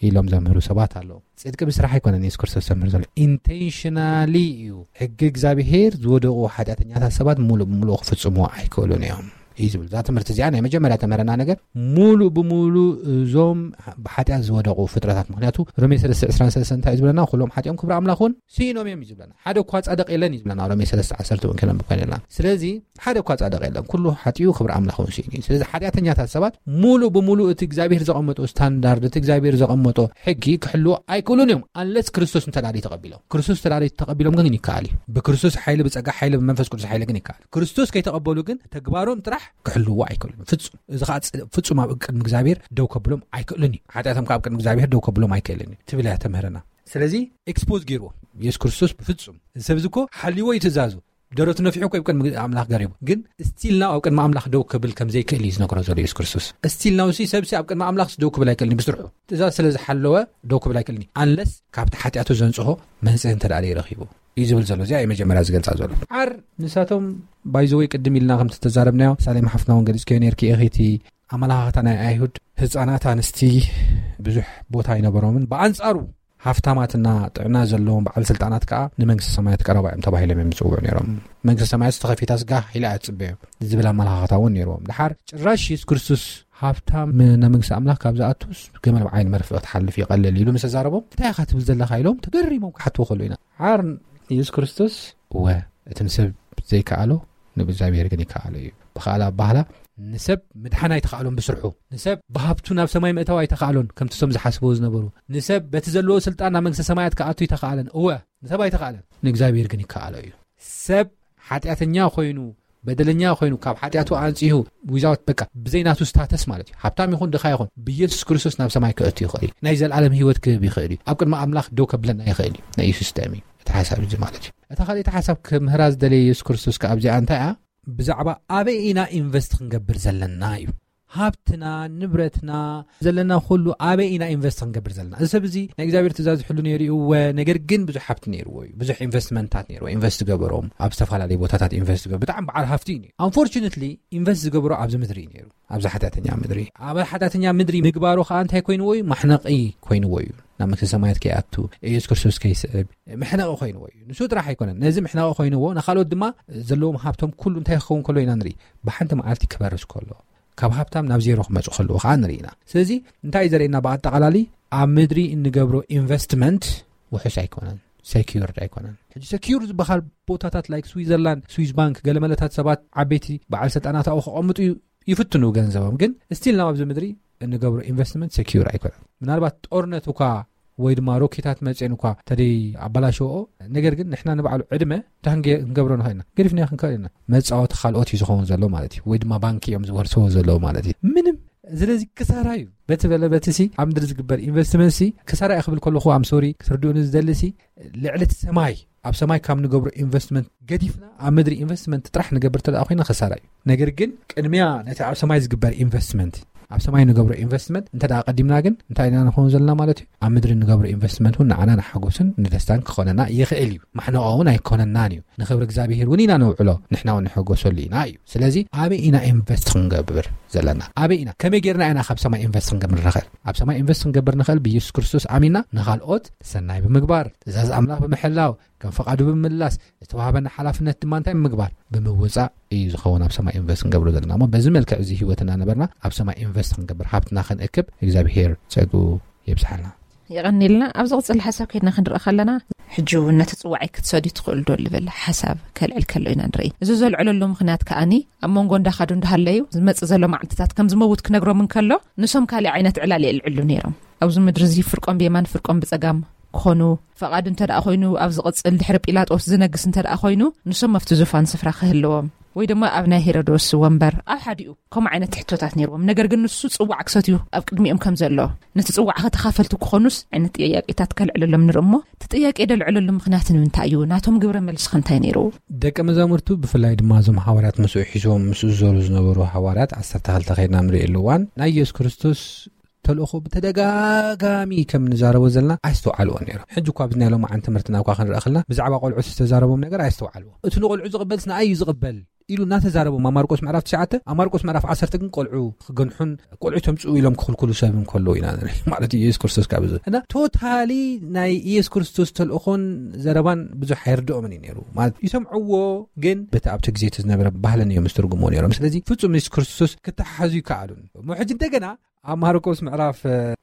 ኢሎም ዘምህሩ ሰባት ኣለዉ። ጽድቂ ብስራሕ ኣይኮነን የሱስ ክርስቶስ ዘምህር ዘሎ። ኢንቴንሽናሊ እዩ። ሕጊ እግዚኣብሔር ዝወደቑ ሓጢኣተኛታት ሰባት ሙሉእ ብሙሉእ ክፍጽሙ ኣይክእሉን እዮም እዩ ዝብል። እዛ ትምህርቲ እዚኣ ናይ መጀመርያ ተምህረና ነገር፣ ሙሉእ ብሙሉእ እዞም ብሓጢኣት ዝወደቑ ፍጥረታት፣ ምኽንያቱ ሮሜ ሰለስተ ዕስራን ሰለስተን እንታይ እዩ ዝብለና? ኩሎም ሓጢኦም ክብሪ ኣምላኽ እውን ስኢኖም እዮም እዩ ዝብለና። ሓደ እኳ ጻድቕ የለን እዩ ዝብለና ሮሜ ሰለስተ ዓሰርተ እውን ከነንብብ ኮይንና። ስለዚ ሓደ እኳ ጻድቕ የለን፣ ኩሉ ሓጢኡ ክብሪ ኣምላኽ እውን ስኢኑ እዩ። ስለዚ ሓጢኣተኛታት ሰባት ሙሉእ ብሙሉእ እቲ እግዚኣብሔር ዘቐመጦ ስታንዳርድ፣ እቲ እግዚኣብሔር ዘቐመጦ ሕጊ ክሕልዎ ኣይክእሉን እዮም፣ ኣንለስ ክርስቶስ እንተ ደኣ ተቐቢሎም። ክርስቶስ እንተ ደኣ ተቐቢሎም ግን ይከኣል እዩ። ብክርስቶስ ሓይሊ፣ ብጸጋ ሓይሊ፣ ብመንፈስ ቅዱስ ሓይሊ ግን ይከኣል። ክርስቶስ ከይተቐበሉ ግን ተግባሮም ጥራሕ ክሕልዎ ኣይክእሉን ፍጹም። እዚ ኸዓ ጽ-፣ ፍጹም ኣብ ቅድሚ እግዚኣብሔር ደው ከብሎም ኣይክእሉን እዩ። ሓጢኣቶም ከኣ ኣብ ቅድሚ እግዚኣብሔር ደው ከብሎም ኣይክእልን እዩ ትብል እያ ተምህረና። ስለዚ ኤክስፖዝ ገይርዎ የሱስ ክርስቶስ ብፍጹም። እዚ ሰብ እዚ እኮ ሓልይዎ እዩ ትእዛዙ። ደረቱ ነፊሑ እኮ ኣብ ቅድሚ ኣምላኽ ገሪቡ። ግን ስቲል ናው ኣብ ቅድሚ ኣምላኽ ደው ክብል ከም ዘይክእል እዩ ዝነግሮ ዘሎ የሱስ ክርስቶስ። ስቲል ናው ሲ ሰብ ሲ ኣብ ቅድሚ ኣምላኽ ደው ክብል ኣይክእልን እዩ ብስርሑ። ትእዛዝ ስለ ዝሓለወ ደው ክብል ኣይክእልን እዩ። ኣንለስ ካብቲ ሓጢኣቱ ዘንጽሆ መንጽሂ እንተ ደኣ ረኺቡ እዩ ዝብል ዘሎ። እዚኣ እዩ መጀመርያ ዝገልጻ ዘሎ። ዓር ንሳቶም ባይዘወይ ቅድም ኢልና ከም ዝተዛረብናዮ፣ ሳሌም ሓፍትና እውን ገሊጽክዮ ነርኪ ኢኺ፣ እቲ ኣመለኻኽታ ናይ ኣይሁድ ህጻናት ኣንስቲ ብዙሕ ቦታ ኣይነበሮምን። ብኣንጻሩ ሃፍታማትና ጥዕና ዘለዎም በዓል ስልጣናት ከኣ ንመንግስቲ ሰማያት ቀረባ እዮም ተባሂሎም እዮም ዝጽውዑ ነይሮም። መንግስቲ ሰማያት ዝተኸፊታ ስጋ ኢላ እያ ትጽበዮም ዝብል ኣመለኻኽታ እውን ነይርዎም። ድሓር ጭራሽ የሱስ ክርስቶስ ሃብታም ናብ መንግስቲ ኣምላኽ ካብ ዝኣቱስ ገመል ብዓይኒ መርፍእ ክትሓልፍ ይቐልል ኢሉ ምስ ተዛረቦም፣ እንታይ ኢኻ ትብል ዘለኻ ኢሎም ተገሪሞም ክሓትዎ ከለዉ ኢና። ዓር የሱስ ክርስቶስ እወ፣ እቲ ንሰብ ዘይከኣሎ ንእግዚኣብሔር ግን ይከኣሎ እዩ። ብኻልእ ኣባህላ ንሰብ ምድሓን ኣይተኻእሎን ብስርሑ። ንሰብ ብሃብቱ ናብ ሰማይ ምእታው ኣይተኻእሎን ከምቲ እቶም ዝሓስብዎ ዝነበሩ። ንሰብ በቲ ዘለዎ ስልጣን ናብ መንግስተ ሰማያት ክኣቱ ኣይተኻእለን። እወ፣ ንሰብ ኣይተኻእለን። ንእግዚኣብሔር ግን ይከኣሎ እዩ። ሰብ ሓጢኣተኛ ኮይኑ፣ በደለኛ ኮይኑ፣ ካብ ሓጢኣቱ ኣንጺሁ፣ ዊዛውት በቃ ብዘይ ናቱ ስታተስ ማለት እዩ። ሃብታም ይኹን ድኻ ይኹን ብኢየሱስ ክርስቶስ ናብ ሰማይ ክእቱ ይኽእል እዩ። ናይ ዘልኣለም ህይወት ክህብ ይኽእል እዩ። ኣብ ቅድሚ ኣምላኽ ደው ከብለና ይኽእል እዩ። ናይ ኢየሱስ ደም እዩ እቲ ሓሳብ እዚ ማለት እዩ። እታ ካልኣይቲ ሓሳብ ክምህራ ዝደለየ ኢየሱስ ክርስቶስ ከኣ ኣብዚኣ እንታይ እያ? ብዛዕባ ኣበይ ኢና ኢንቨስት ክንገብር ዘለና እዩ። ሃብትና፣ ንብረትና፣ ዘለና ኩሉ ኣበይ ኢና ኢንቨስት ክንገብር ዘለና? እዚ ሰብ እዚ ናይ እግዚኣብሔር ትእዛዝ ዝሕሉ ነይሩ እዩ፣ እወ፣ ነገር ግን ብዙሕ ሃብቲ ነይርዎ እዩ። ብዙሕ ኢንቨስትመንታት ነይርዎ፣ ኢንቨስት ዝገበሮም ኣብ ዝተፈላለዩ ቦታታት ኢንቨስት ዝገበሮ ብጣዕሚ በዓል ሃፍቲ እዩ ነይሩ። ኣንፎርቹነትሊ ኢንቨስት ዝገበሮ ኣብዚ ምድሪ እዩ ነይሩ፣ ኣብዚ ሓጢኣተኛ ምድሪ። ኣብ ሓጢኣተኛ ምድሪ ምግባሩ ከዓ እንታይ ኮይንዎ እዩ? ማሕነቂ ኮይንዎ እዩ። ናብ መንግስተ ሰማያት ከይኣቱ፣ ኢየሱስ ክርስቶስ ከይስዕብ መሕነቂ ኮይንዎ እዩ። ንሱ ጥራሕ ኣይኮነን፣ ነዚ መሕነቂ ኮይንዎ ንካልኦት ድማ ዘለዎም ሃብቶም ኩሉ እንታይ ክኸውን ከሎ ኢና ንርኢ? ብሓንቲ መዓልቲ ክበርስ ከሎ፣ ካብ ሃብታም ናብ ዜሮ ክመፁ ከለዉ ከዓ ንርኢ ኢና። ስለዚ እንታይ እዩ ዘርእየና? ብኣጠቓላሊ ኣብ ምድሪ እንገብሮ ኢንቨስትመንት ውሑስ ኣይኮነን፣ ሴኪርድ ኣይኮነን። ሕጂ ሴኪር ዝበሃል ቦታታት ላይክ ስዊዘርላንድ፣ ስዊዝ ባንክ፣ ገለመለታት ሰባት ዓበይቲ በዓል ስልጣናት ኣብኡ ክቐምጡ ዩ-፣ ይፍትኑ ገንዘቦም፣ ግን ስቲል ናብ ኣብዚ ምድሪ እንገብሮ ኢንቨስትመንት ሴኪር ኣይኮነን። ምናልባት ጦርነት እኳ ወይ ድማ ሮኬታት መፅኤን እኳ ተደይ ኣበላሸዎ፣ ነገር ግን ንሕና ንባዕሉ ዕድመ እንታይ ክንገ-፣ ክንገብሮ ንኽእል ኢና? ገዲፍና ክንከእል ኢና። መፃወቲ ካልኦት እዩ ዝኸውን ዘሎ ማለት እዩ፣ ወይ ድማ ባንኪ እዮም ዝወርስዎ ዘለዉ ማለት እዩ። ምንም። ስለዚ ክሳራ እዩ። በቲ በለ በቲ ሲ ኣብ ምድሪ ዝግበር ኢንቨስትመንት ሲ ክሳራ እዩ ክብል ከለኹ፣ ኣም ሶሪ፣ ክትርድኡኒ ዝደሊ ሲ ልዕሊ እቲ ሰማይ፣ ኣብ ሰማይ ካብ ንገብሮ ኢንቨስትመንት ገዲፍና ኣብ ምድሪ ኢንቨስትመንት ጥራሕ ንገብር እንተ ደኣ ኮይና ክሳራ እዩ። ነገር ግን ቅድሚያ ነቲ ኣብ ሰማይ ዝግበር ኢንቨስትመንት፣ ኣብ ሰማይ ንገብሮ ኢንቨስትመንት እንተ ደኣ ቀዲምና ግን እንታይ ኢና ንኸውን ዘለና ማለት እዩ? ኣብ ምድሪ ንገብሮ ኢንቨስትመንት እውን ንዓና ንሓጎስን ንደስታን ክኾነና ይኽእል እዩ። ማሕነቆ እውን ኣይኮነናን እዩ። ንኽብሪ እግዚኣብሄር እውን ኢና ነውዕሎ፣ ንሕና እውን ንሕጎሰሉ ኢና እዩ። ስለዚ ኣበይ ኢና ኢንቨስት ክንገብር ዘለና? ኣበይ ኢና? ከመይ ጌርና ኢና ካብ ሰማይ ኢንቨስት ክንገብር ንኽእል? ኣብ ሰማይ ኢንቨስት ክንገብር ንኽእል ብኢየሱስ ክርስቶስ ኣሚና ንኻልኦት ሰናይ ብምግባር፣ ትእዛዝ ኣምላኽ ብምሕላው፣ ከም ፈቓዱ ብምምላስ፣ ዝተዋህበና ሓላፍነት ድማ እንታይ ብምግባር? ብምውጻእ እዩ ዝኸውን ኣብ ሰማይ ኢንቨስት ክንገብሮ ዘለና። እሞ በዚ መልክዕ እዚ ህይወትና ነበርና ኣብ ሰማይ ኢንቨስት ክንገብር፣ ሃብትና ክንእክብ እግዚኣብሄር ጸግኡ የብዝሓልና። የቐኒልና። ኣብ ዝቕጽል ሓሳብ ከይድና ክንርኢ ከለና፣ ሕጂ እውን ነቲ ጽዋዓይ ክትሰትዩ ትኽእሉ ዶ ልብል ሓሳብ ከልዕል ከሎ ኢና ንርኢ። እዚ ዘልዕለሉ ምኽንያት ከኣኒ፣ ኣብ መንጎ እንዳኸዱ እንዳሃለዩ፣ ዝመጽእ ዘሎ መዓልትታት ከም ዝመውት ክነግሮም እንከሎ፣ ንሶም ካልእ ዓይነት ዕላል የልዕሉ ነይሮም። ኣብዚ ምድሪ እዚ ፍርቆም ብየማን ፍርቆም ብጸጋም ክኾኑ፣ ፈቓዱ እንተ ደኣ ኮይኑ፣ ኣብ ዝቕጽል ድሕሪ ጲላጦስ ዝነግስ እንተ ደኣ ኮይኑ፣ ንሶም ኣብቲ ዙፋን ስፍራ ክህልዎም፣ ወይ ድማ ኣብ ናይ ሄሮዶስ ወንበር ኣብ ሓዲኡ፣ ከምኡ ዓይነት ሕቶታት ነይርዎም። ነገር ግን ንሱ ጽዋዕ ክሰትዩ ኣብ ቅድሚኦም ከም ዘሎ፣ ነቲ ጽዋዕ ከተኻፈልቲ ክኾኑስ ዓይነት ጥያቄታት ከልዕለሎም ንርኢ እሞ፣ እቲ ጥያቄ ደልዕለሉ ምኽንያት ንምንታይ እዩ? ናቶም ግብረ መልሲ ከ እንታይ ነይሩ? ደቀ መዛሙርቱ፣ ብፍላይ ድማ እዞም ሃዋርያት ምስኡ ሒዞም ምስኡ ዝዞሩ ዝነበሩ ሃዋርያት፣ ዓሰርተ ክልተ ከይድና ንርእየሉ እዋን፣ ናይ ኢየሱስ ክርስቶስ ተልእኾ ብተደጋጋሚ ከም ንዛረቦ ዘለና ኣይስተውዓልዎ ነይሮም። ሕጂ እኳ ኣብዚ ናይ ሎማዓንቲ ትምህርትና እኳ ክንርኢ ከለና ብዛዕባ ቆልዑ ዝተዛረቦም ነገር ኣይስተውዓልዎ። እቲ ንቆልዑ ዝቕበልስ ንኣይ እዩ ዝቕበል ኢሉ እናተዛረቦም ኣብ ማርቆስ ምዕራፍ ትሽዓተ፣ ኣብ ማርቆስ ምዕራፍ ዓሰርተ ግን ቆልዑ ክገንሑን ቆልዑ ተምፅኡ ኢሎም ክኽልክሉ ሰብ እንከለዉ ኢና ንርኢ። ማለት ኢየሱስ ክርስቶስ ካብ እዚ እና ቶታሊ ናይ ኢየሱስ ክርስቶስ ተልእኾን ዘረባን ብዙሕ ኣይርድኦምን እዩ ነይሩ። ማለት ይሰምዕዎ፣ ግን በቲ ኣብቲ ግዜ እቲ ዝነበረ ባህልን እዮም ዝትርጉምዎ ነይሮም። ስለዚ ፍጹም ኢየሱስ ክርስቶስ ክተሓሓዙ ይከኣሉን። እሞ ሕጂ እንደገና ኣብ ማርቆስ ምዕራፍ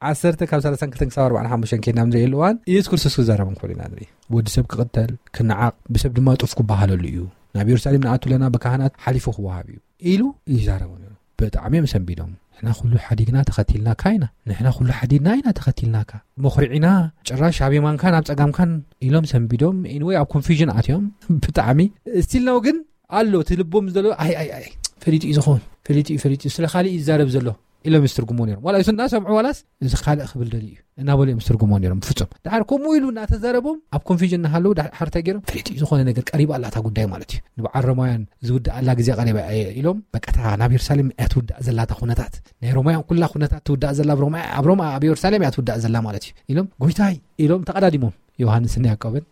ዓሰርተ ካብ ሰላሳ ክልተ ክሳብ ኣርባዓን ሓሙሽተን ከይድና ንርኢ ኣለዋን ኢየሱስ ክርስቶስ ክዛረብ እንከሎ ኢና ንርኢ። ወዲ ሰብ ክቕተል፣ ክነዓቕ፣ ብሰብ ድማ ጡፍ ክበሃለሉ እዩ። ናብ የሩሳሌም ንኣቱ ኣለና፣ ብካህናት ሓሊፉ ክወሃብ እዩ ኢሉ ይዛረቡ ነይሩ። ብጣዕሚ እዮም ሰንቢዶም። ንሕና ኩሉ ሓዲግና ተኸቲልናካ ኢና፣ ንሕና ኩሉ ሓዲግና ኢና ተኸቲልናካ፣ መኹሪዒና፣ ጭራሽ ኣብ የማንካን ኣብ ጸጋምካን ኢሎም ሰንቢዶም። ኢንወይ ኣብ ኮንፊዥን ኣትዮም። ብጣዕሚ ስቲል ነው ግን ኣሎ እቲ ልቦም ዘሎ ኣይ ኣይ ኣይ ፈሊጡ እዩ ዝኸውን፣ ፈሊጡ እዩ፣ ፈሊጡ እዩ፣ ስለ ካልእ እዩ ዝዛረብ ዘሎ ኢሎም ይስትርጉሞ ነይሮም። ዋላ እሱ እናሰምዑ ዋላስ እዚ ካልእ ክብል ደልዩ እዩ እናበሉ እዮም ዝትርጉሞ ነይሮም። ፍጹም ድሓር ከምኡ ኢሉ እናተዛረቦም ኣብ ኮንፊዥን እናሃለዉ ድሓር እንታይ ገይሮም? ፈሊጡ እዩ፣ ዝኾነ ነገር ቀሪባ ኣላ እታ ጉዳይ ማለት እዩ። ንበዓል ሮማውያን ዝውድኣላ ግዜ ቀሪባ እየ ኢሎም፣ በቃ እታ ናብ የሩሳሌም እያ ትውዳእ ዘላ እታ ኩነታት፣ ናይ ሮማውያን ኩላ ኩነታት ትውዳእ ዘላ ኣብ ሮማ፣ ኣብ ሮማ፣ ኣብ የሩሳሌም እያ ትውዳእ ዘላ ማለት እዩ ኢሎም፣ ጎይታይ ኢሎም ተቐዳዲሞም ዮሃንስን ያዕቆብን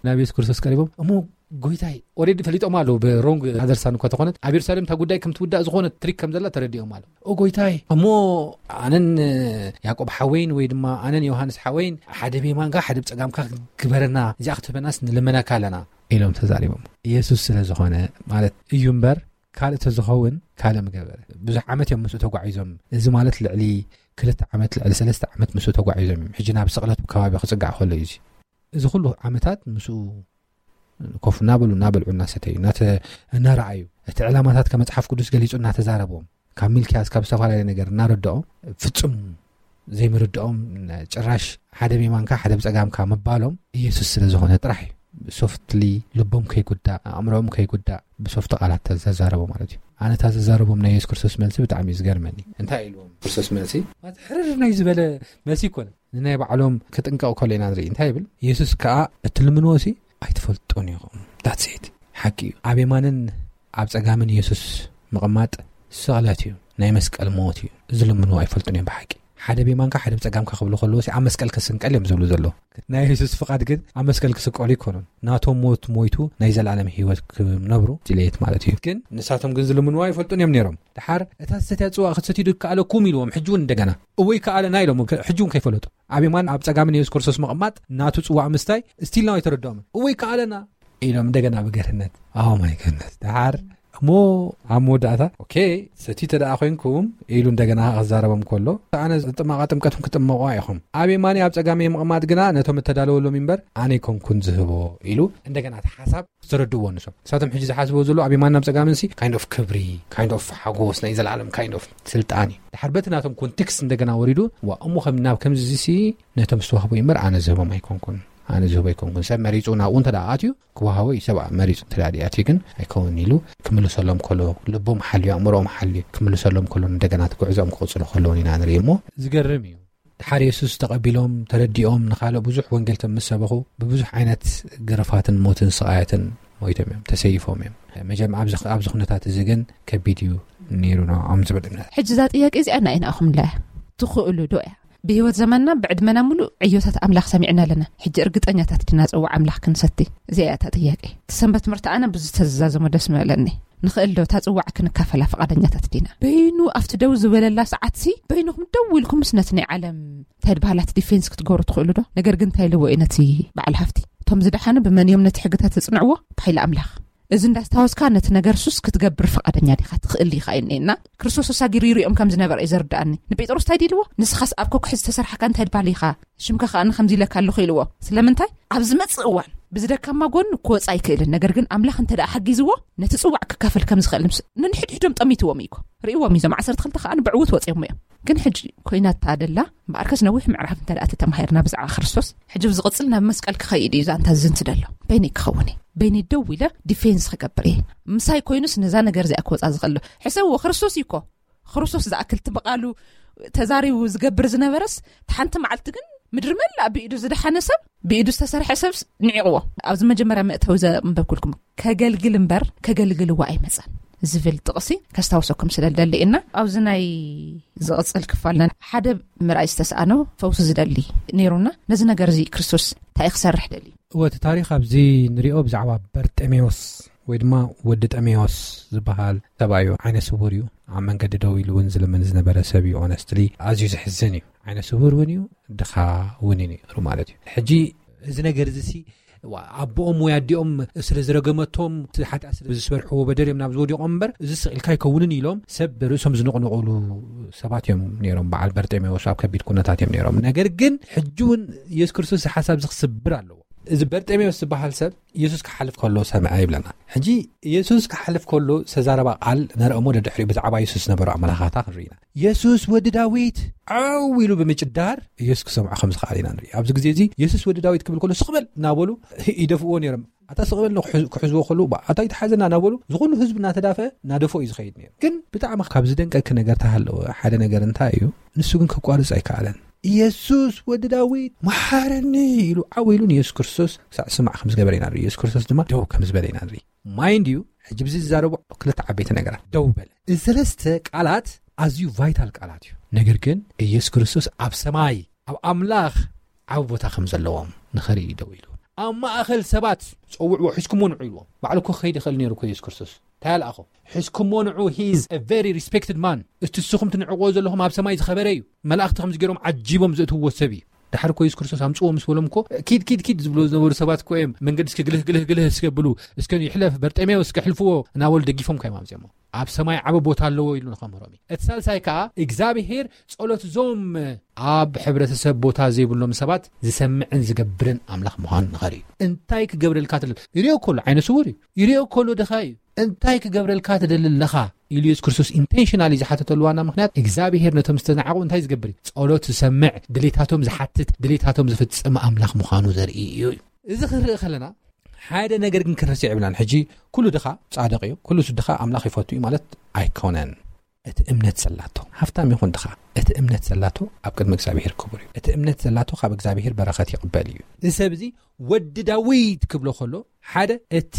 ናብ የሱስ ክርስቶስ ቀሪቦም፣ እሞ ጎይታይ፣ ኦሬዲ ፈሊጦም ኣለዉ ብሮንግ ኣደርሳን እኳ ተኾነት ኣብ የሩሳሌም እታ ጉዳይ ከም ትውዳእ ዝኾነ ትሪክ ከም ዘላ ተረዲኦም ኣለዉ። ኦ ጎይታይ፣ እሞ ኣነን ያዕቆብ ሓወይን ወይ ድማ ኣነን ዮሃንስ ሓወይን ሓደ ብየማንካ ሓደ ብጸጋምካ ግበረና፣ እዚኣ ክትህበናስ ንልመነካ ኣለና ኢሎም ተዛሪቦም። ኢየሱስ ስለ ዝኾነ ማለት እዩ እምበር ካልእ ተዝኸውን ካልእ ምገበረ። ብዙሕ ዓመት እዮም ምስኡ ተጓዒዞም። እዚ ማለት ልዕሊ ክልተ ዓመት፣ ልዕሊ ሰለስተ ዓመት ምስኡ ተጓዒዞም እዮም። ሕጂ ናብ ስቕለት ከባቢ ክጽጋዕ ከሎ እዩ እዚ። እዚ ኩሉ ዓመታት ምስኡ ኮፍ እናበሉ፣ እናበልዑ፣ እናሰተዩ፣ እናተ-፣ እናረኣዩ፣ እቲ ዕላማታት ከ መጽሓፍ ቅዱስ ገሊጹ እናተዛረቦም፣ ካብ ሚልክያስ ካብ ዝተፈላለየ ነገር እናረድኦም፣ ፍጹም ዘይምርድኦም፣ ጭራሽ ሓደ ብየማንካ ሓደ ብጸጋምካ ምባሎም ኢየሱስ ስለ ዝኾነ ጥራሕ እዩ። ሶፍትሊ ልቦም ከይጉዳእ፣ ኣእምሮኦም ከይጉዳእ ብሶፍት ቃላት ተዛረቦ ማለት እዩ። ኣነ እታ ዘዛረቦም ናይ የሱስ ክርስቶስ መልሲ ብጣዕሚ እዩ ዝገርመኒ። እንታይ ኢልዎም? ክርስቶስ መልሲ ማለት ሕርር ናይ ዝበለ መልሲ ይኮነ። ንናይ ባዕሎም ክጥንቀቕ ከሎ ኢና ንርኢ። እንታይ ይብል? የሱስ ከኣ እትልምንዎ ሲ ኣይትፈልጡን ኢኹም። ዳትስ ኢት። ሓቂ እዩ። ኣብ የማንን ኣብ ጸጋምን የሱስ ምቕማጥ ስቕለት እዩ። ናይ መስቀል ሞት እዩ። ዝልምንዎ ኣይፈልጡን እዮም ብሓቂ። ሓደ ብየማንካ ሓደ ብጸጋምካ ክብሉ ከለዉ ሲ ኣብ መስቀል ክስንቀል እዮም ዝብሉ ዘለዉ። ናይ የሱስ ፍቓድ ግን ኣብ መስቀል ክስቀሉ ኣይኮኑን። ናቶም ሞት ሞይቱ ናይ ዘለኣለም ህይወት ክነብሩ ድሌት ማለት እዩ። ግን ንሳቶም ግን ዝልምንዎ ኣይፈልጡን እዮም ነይሮም። ድሓር እታ ዝሰትያ ጽዋእ ክትሰትዩ ዶ ይከኣለኩም ኢልዎም። ሕጂ እውን እንደገና እወ ይከኣለና ኢሎም። ሕጂ እውን ከይፈለጡ ኣብ የማን ኣብ ጸጋምን የሱስ ክርስቶስ ምቕማጥ ናቱ ጽዋእ ምስታይ ስቲል ናው ኣይተረድኦምን። እወ ይከኣለና ኢሎም እንደገና ብገርህነት ኣው ማይ ገርህነት ድሓር እሞ ኣብ መወዳእታ ኦኬ ሰቲ ተደኣ ኮንኩም ኢሉ እንደገና ክዛረቦም ከሎ ኣነ ዝጥመቓ ጥምቀትኩም ክጥመቑ ኢኹም፣ ኣብ የማኒ ኣብ ጸጋሚ ምቕማጥ ግና ነቶም እተዳለወሎም እምበር ኣነ ኣይኮንኩን ዝህቦ ኢሉ እንደገና እቲ ሓሳብ ዝተረድእዎ ንሶም። ንሳቶም ሕጂ ዝሓስብዎ ዘሎ ኣብ የማን ናብ ጸጋምን ሲ ካይንድ ኦፍ ክብሪ፣ ካይንድ ኦፍ ሓጎስ፣ ናይ ዘለኣለም ካይንድ ኦፍ ስልጣን እዩ። ድሓር በቲ ናቶም ኮንቴክስት እንደገና ወሪዱ ዋ እሞ ከም ናብ ከምዚ ሲ ነቶም ዝተዋህቡ እምበር ኣነ ዝህቦም ኣይኮንኩን፣ ኣነ ዝህቦ ኣይኮንኩን። ሰብ መሪጹ ናብኡ እንተ ደኣ ኣትዩ ክወሃቦ እዩ። ሰብ መሪጹ እንተ ደኣ ኣትዩ ግን ኣይከውን ኢሉ ክምልሰሎም ከሎ ልቦም ሓልዩ ኣእምሮኦም ሓልዩ ክምልሰሎም ከሎ እንደገና እቲ ጉዕዞኦም ክቕጽሉ ከለውን ኢና ንርኢ እሞ ዝገርም እዩ። ድሓር የሱስ ተቐቢሎም ተረዲኦም ንኻልእ ብዙሕ ወንጌል ምስ ሰበኹ ብብዙሕ ዓይነት ግርፋትን ሞትን ስቓያትን ሞይቶም እዮም፣ ተሰይፎም እዮም። መጀም ኣብዚ ኣብዚ ኩነታት እዚ ግን ከቢድ እዩ ነይሩ ንዕኦም ዝብል እምነት። ሕጂ እዛ ጥያቄ እዚኣ ንኣይ ንኣኹምላ እያ። ትኽእሉ ዶ እያ? ብህይወት ዘመንና ብዕድመና ሙሉእ ዕዮታት ኣምላኽ ሰሚዕና ኣለና። ሕጂ እርግጠኛታት ዲና ጽዋዕ ኣምላኽ ክንሰቲ? እዚኣ እያ እታ ጥያቄ። እቲ ሰንበት ትምህርቲ ኣነ ብዝተዛዘሞ ደስ ምበለኒ። ንኽእል ዶ እታ ጽዋዕ ክንካፈላ ፍቓደኛታት ዲና? በይኑ ኣብቲ ደው ዝበለላ ሰዓትሲ በይንኹም ደው ኢልኩምስ ነቲ ናይ ዓለም እንታይ ድበሃላት ዲፌንስ ክትገብሩ ትኽእሉ ዶ? ነገር ግን እንታይ ኢልዎ እዩ ነቲ በዓል ሃፍቲ? እቶም ዝደሓኑ ብመን እዮም ነቲ ሕግታት ዘጽንዕዎ? ብሓይሊ ኣምላኽ። እዚ እንዳስታወስካ ነቲ ነገር ሱስ ክትገብር ፍቓደኛ ዲኻ? ትኽእል ኢኻ እኔና ክርስቶስ ተሳጊሩ ይሪኦም ከም ዝነበረ እዩ ዘርድኣኒ። ንጴጥሮስ እንታይ ድልዎ? ንስኻስ ኣብ ከኩሒ ዝተሰርሓካ እንታይ ድበሃል ኢኻ? ሽምካ ከኣ ከምዚ ኢለካ ኣለኹ ኢልዎ። ስለምንታይ? ኣብ ዝመጽእ እዋን ብዝደካማ ጎኑ ክወጽእ ኣይክእልን። ነገር ግን ኣምላኽ እንተ ደኣ ሓጊዝዎ ነቲ ጽዋዕ ክካፈል ከም ዝኽእል ምስ-፣ ንንሕድሕዶም ጠሚትዎም እዩ እኮ። ርእይዎም እዩ። እዞም ዓሰርተ ክልተ ከኣ ብዕዉት ወጺኦም እዮም። ግን ሕጂ ኮይናታ ደላ እምበኣርከስ ነዊሕ ምዕራፍ እንተ ደኣ ተተማሂርና ብዛዕባ ክርስቶስ፣ ሕጂ ብዝቕጽል ናብ መስቀል ክኸይድ እዩ ዛንታ ዝዝንቲ ደሎ። በይነይ ክኸውን እየ። በይነይ ደው ኢለ ዲፌንስ ክገብር እየ። ምሳይ ኮይኑስ ነዛ ነገር እዚኣ ክወጻ ዝኽእል ዶ? ሕሰብዎ፣ ክርስቶስ እዩ እኮ። ክርስቶስ ዝኣክል እቲ ብቓሉ ተዛሪቡ ዝገብር ዝነበረስ፣ እቲ ሓንቲ መዓልቲ ግን ምድሪ መላእ ብኢዱ ዝደሓነ ሰብ፣ ብኢዱ ዝተሰርሐ ሰብስ ንዒቕዎ። ኣብዚ መጀመርያ መእተዊ ዘንበብኩልኩም፣ ከገልግል እምበር ከገልግልዎ ኣይመጸን። ዝብል ጥቕሲ ከስታውሰኩም ስለ ዝደሊ እና ኣብዚ ናይ ዝቕጽል ክፋልና ሓደ ምርኣይ ዝተሰኣኖ ፈውሲ ዝደሊ ነይሩና። ነዚ ነገር እዚ ክርስቶስ እንታይ ክሰርሕ ደሊ? እወ፣ እቲ ታሪኽ ኣብዚ ንሪኦ ብዛዕባ በርጤሜዎስ ወይ ድማ ወዲ ጠሜዎስ ዝበሃል ሰብ እዩ። ዓይነ ስውር እዩ። ኣብ መንገዲ ደው ኢሉ እውን ዝልምን ዝነበረ ሰብ እዩ። ኦነስትሊ ኣዝዩ ዘሕዝን እዩ። ዓይነ ስውር እውን እዩ፣ ድኻ እውን እዩ ነይሩ ማለት እዩ። ሕጂ እዚ ነገር እዚ ሲ ዋ- ኣቦኦም ወይ ኣዲኦም ስለ ዝረገመቶም፣ እቲ ሓጢኣት ስለ ዝስበርሕዎ በደል እዮም ናብ ዝወዲቖም እምበር፣ እዚ ስቕ ኢልካ ኣይከውንን ኢሎም ሰብ ርእሶም ዝንቕንቑሉ ሰባት እዮም ነይሮም። በዓል በርጤሜዎስ ኣብ ከቢድ ኩነታት እዮም ነይሮም። ነገር ግን ሕጂ እውን ኢየሱስ ክርስቶስ እዚ ሓሳብ እዚ ክስብር ኣለዎ። እዚ በርጤሜዎስ ዝበሃል ሰብ ኢየሱስ ክሓልፍ ከሎ ሰምዐ ይብለና። ሕጂ ኢየሱስ ክሓልፍ ከሎ ዝተዛረባ ቃል ነርአሞ። ደድሕሪኡ ብዛዕባ ኢየሱስ ዝነበሩ ኣመላኻታ ክንርኢ ኢና። "የሱስ ወዲ ዳዊት፣ ዓው!" ኢሉ ብምጭዳር ኢየሱስ ክሰምዖ ከም ዝኸኣለ ኢና ንርኢ። ኣብዚ ግዜ እዚ የሱስ ወዲ ዳዊት ክብል ከሎ ስቕ በል እናበሉ ይደፍእዎ ነይሮም። ኣታ ስቕ በል ክሕዝ- ክሕዝዎ ከለዉ፣ "ባ- ኣታ ይትሓዘና" እናበሉ ዝኹሉ ህዝቢ እናተዳፈአ እናደፍኦ እዩ ዝኸይድ ነይሩ። ግን ብጣዕሚ ካብ ዝደንቀኪ ነገር ተሃለወ ሓደ ነገር እንታይ እዩ? ንሱ ግን ከቋርጽ ኣይከኣለን። "የሱስ ወዲ ዳዊት መሓረኒ" ኢሉ ዓው ኢሉ ንየሱስ ክርስቶስ ክሳዕ ዝስማዕ ከም ዝገበረ ኢና ንርኢ። የሱስ ክርስቶስ ድማ ደው ከም ዝበለ ኢና ንርኢ። ማይንድ ዩ፣ ሕጂ ብዚ ዝዛረቡ ክልተ ዓበይቲ ነገራት። ደው በለ። እዚ ሰለስተ ቃላት ኣዝዩ ቫይታል ቃላት እዩ። ነገር ግን ኢየሱስ ክርስቶስ ኣብ ሰማይ ኣብ ኣምላኽ ዓቢ ቦታ ከም ዘለዎም ንኸርኢ ደው ኢሉ። ኣብ ማእኸል ሰባት ጸውዕዎ፣ "ሒዝኩሞ ንዑ" ኢልዎም። ባዕሉ እኮ ክኸይድ ይኽእል ነይሩ እኮ ኢየሱስ ክርስቶስ። እንታይ ኣልኣኾ? "ሒዝኩሞ ንዑ፣ he is a very respected man." እቲ ንስኹም ትንዕቕዎ ዘለኹም ኣብ ሰማይ ዝኸበረ እዩ። መላእኽቲ ከምዚ ገይሮም ዓጂቦም ዘእትውዎ ሰብ እዩ። ድሓር እኮ ኢየሱስ ክርስቶስ ኣምጽዎ ምስ በሎም እኮ፣ "ኪድ፣ ኪድ፣ ኪድ" ዝብሎ ዝነበሩ ሰባት እኮ እዮም። "መንገዲ እስኪ ግልህ፣ ግልህ፣ ግልህ እስኪ ኣብሉ፣ እስከ ይሕለፍ፣ በርጤሜዎስ እስኪ ኣሕልፍዎ" እናበሉ ደጊፎም እኮ እዮም ኣምጺኦሞ። ኣብ ሰማይ ዓቢ ቦታ ኣለዎ ኢሉ ንኸምህሮም እዩ። እቲ ሳልሳይ ከኣ እግዚኣብሄር ጸሎት እዞም ኣብ ሕብረተሰብ ቦታ ዘይብሎም ሰባት ዝሰምዕን ዝገብርን ኣምላኽ ምዃኑ ንኸርኢ እዩ። እንታይ ክገብረልካ ትደሊ? ይሪኦ ከሎ ዓይነ ስውር እዩ። ይሪኦ ከሎ ድኻ እዩ። እንታይ ክገብረልካ ትደሊ ኣለኻ? ኢሉ ኢየሱስ ክርስቶስ ኢንቴንሽናሊ ዝሓተተሉ ዋና ምኽንያት እግዚኣብሄር ነቶም ዝተናዕቑ እንታይ ዝገብር እዩ? ጸሎት ዝሰምዕ፣ ድሌታቶም ዝሓትት፣ ድሌታቶም ዝፍጽም ኣምላኽ ምዃኑ ዘርኢ እዩ። እዚ ክንርኢ ከለና ሓደ ነገር ግን ክንርስዕ የብልናን። ሕጂ ኩሉ ድኻ ጻድቕ እዩ፣ ኩሉ ድኻ ኣምላኽ ይፈቱ እዩ ማለት ኣይኮነን። እቲ እምነት ዘላቶ፣ ሃፍታም ይኹን ድኻ፣ እቲ እምነት ዘላቶ ኣብ ቅድሚ እግዚኣብሄር ክቡር እዩ። እቲ እምነት ዘላቶ ካብ እግዚኣብሄር በረኸት ይቕበል እዩ። እዚ ሰብ እዚ ወዲ ዳዊት ክብሎ ከሎ፣ ሓደ እቲ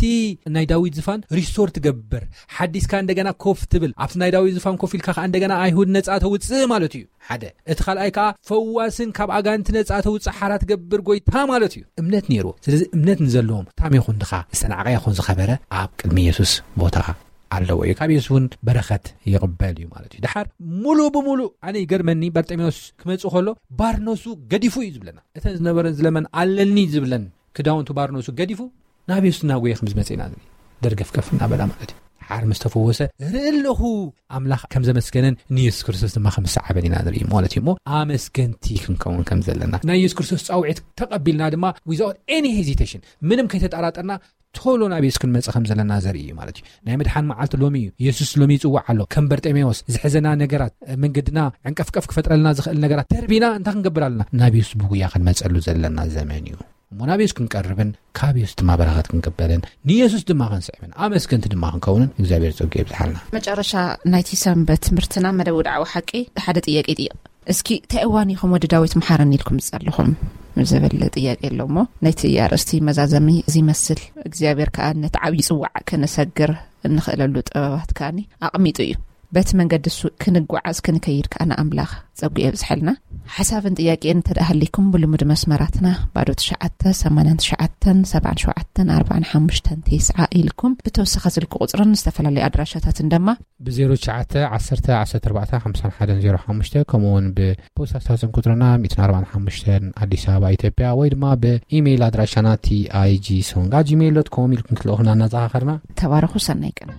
ናይ ዳዊት ዝፋን ሪስቶር ትገብር፣ ሓዲስካ እንደገና ኮፍ ትብል፣ ኣብቲ ናይ ዳዊት ዝፋን ኮፍ ኢልካ ከኣ እንደገና ኣይሁድ ነጻ ተውጽእ ማለት እዩ። ሓደ። እቲ ካልኣይ ከኣ ፈዋስን ካብ ኣጋንንቲ ነጻ ተውጽእ ሓራ ትገብር ጎይታ ማለት እዩ። እምነት ነይርዎ። ስለዚ እምነት ንዘለዎም፣ ሃብታም ይኹን ድኻ፣ ዝተናዕቐ ይኹን ዝኸበረ ኣብ ቅድሚ የሱስ ቦታ ኣለዎ እዩ። ካብ የሱስ እውን በረኸት ይቕበል እዩ ማለት እዩ። ድሓር ሙሉእ ብሙሉእ ኣነ ይገርመኒ፣ በርጤሜዎስ ክመጽእ ከሎ ባርኖሱ ገዲፉ እዩ ዝብለና። እተን ዝነበረን ዝለመን ኣለኒ ዝብለን ክዳውንቱ ባርኖሱ ገዲፉ ናብ የሱስ እናጎየ ከም ዝመጽእ ኢና ንርኢ። ደርገፍገፍ እናበላ ማለት እዩ። ድሓር ምስ ተፈወሰ ርኢ ኣለኹ ኣምላኽ ከም ዘመስገነን ንየሱስ ክርስቶስ ድማ ከም ዝሰዓበን ኢና ንርኢ ማለት እዩ። እሞ ኣመስገንቲ ክንከውን ከም ዘለና ናይ የሱስ ክርስቶስ ጻውዒት ተቐቢልና ድማ without any hesitation ምንም ከይተጠራጠርና ቶሎ ናብ የሱስ ክንመጽእ ከም ዘለና ዘርኢ እዩ ማለት እዩ። ናይ ምድሓን መዓልቲ ሎሚ እዩ። የሱስ ሎሚ ይጽዋዕ ኣሎ። ከም በርጤሜዎስ ዝሕዘና ነገራት፣ መንገድና ዕንቀፍቀፍ ክፈጥረልና ዝኽእል ነገራት ደርቢና እንታይ ክንገብር ኣለና? ናብ የሱስ ብጉያ ክንመጸሉ ዘለና ዘመን እዩ። እሞ ናብ የሱስ ክንቀርብን ካብ የሱስ ድማ በረኸት ክንቅበልን ንየሱስ ድማ ክንስዕብን ኣመስገንቲ ድማ ክንከውንን እግዚኣብሔር ጸጉ የብዝሓልና። መጨረሻ ናይቲ ሰንበት ትምህርትና መደብ ውድዓዊ ሓቂ ሓደ ጥያቄ ይጥይቕ። እስኪ እንታይ እዋን ኢኹም ወዲ ዳዊት መሓረኒ ኢልኩም ዝጸለኹም ዝብል ጥያቄ ኣሎ እሞ ነቲ ኣርእስቲ መዛዘሚ እዚ ይመስል። እግዚኣብሔር ከኣ ነቲ ዓብዪ ጽዋዕ ከነሰግር እንኽእለሉ ጥበባት ከኣኒ ኣቕሚጡ እዩ። በቲ መንገዲ እሱ ክንጓዓዝ ክንከይድ ከኣ ንኣምላኽ ጸጉ የብዝሐልና። ሓሳብን ጥያቄን እንተ ደኣ ሃሊኩም ብልሙድ መስመራትና ባዶ ትሽዓተ ሰማንያን ትሽዓተን ሰብዓን ሸውዓተን ኣርባዓን ሓሙሽተን ተስዓ ኢልኩም ብተወሳኺ ስልኪ ቁጽርን ዝተፈላለዩ ኣድራሻታትን ድማ ብ ዜሮ ትሽዓተ ዓሰርተ ዓሰርተ ኣርባዕተ ሓምሳን ሓደን ዜሮ ሓሙሽተ ከምኡ እውን ብፖስታ ሳጥን ቁጽርና ሚእትን ኣርባዓን ሓሙሽተን ኣዲስ ኣበባ ኢትዮጵያ ወይ ድማ ብኢሜይል ኣድራሻና ቲኣይጂ ሶንግ ኣት ጂሜይል ዶት ኮም ኢልኩም ክትልእኹና እናዘኻኸርና ተባረኹ። ሰናይ ቀን።